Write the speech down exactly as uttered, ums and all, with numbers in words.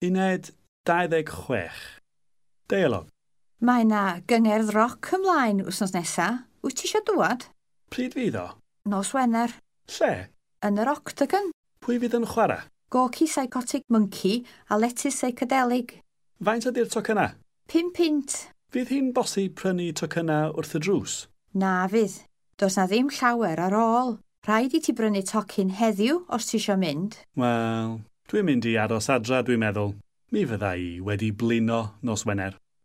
Uned dau ddeg chwech. Deialog. Mae 'na gyngerdd roc ymlaen wythnos nesa. Wyt ti isio dŵad? Pryd fydd o? Nos Wener. Lle? Yn yr Octagon. Pwy fydd yn chwarae? Gorky Psychotic Monkey a Lettuce Psychedelic. Faint ydy'r tocyna? Pum punt. Fydd hi'n bosib prynu tocyna wrth y drws? Na fydd. Does na ddim llawer ar ôl. Rhaid i ti brynu tocyn heddiw os ti isio mynd. Wel, dwi'n mynd i aros adra, dwi'n meddwl. Mi fydda i wedi blino nos Wener.